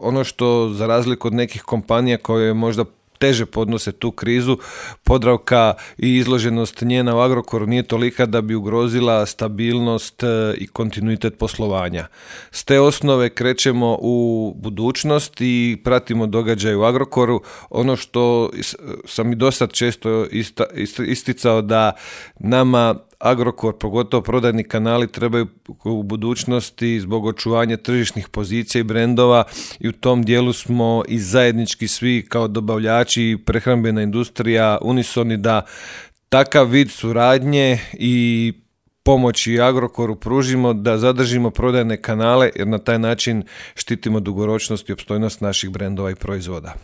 Ono što za razliku od nekih kompanija koje možda teže podnose tu krizu, Podravka i izloženost njena u Agrokoru nije tolika da bi ugrozila stabilnost i kontinuitet poslovanja. S te osnove krećemo u budućnost i pratimo događaje u Agrokoru. Ono što sam i dosad često isticao da nama Agrokor, pogotovo prodajni kanali, trebaju u budućnosti zbog očuvanja tržišnih pozicija i brendova i u tom dijelu smo i zajednički svi kao dobavljači i prehrambena industrija unisoni da takav vid suradnje i pomoći Agrokoru pružimo, da zadržimo prodajne kanale jer na taj način štitimo dugoročnost i opstojnost naših brendova i proizvoda.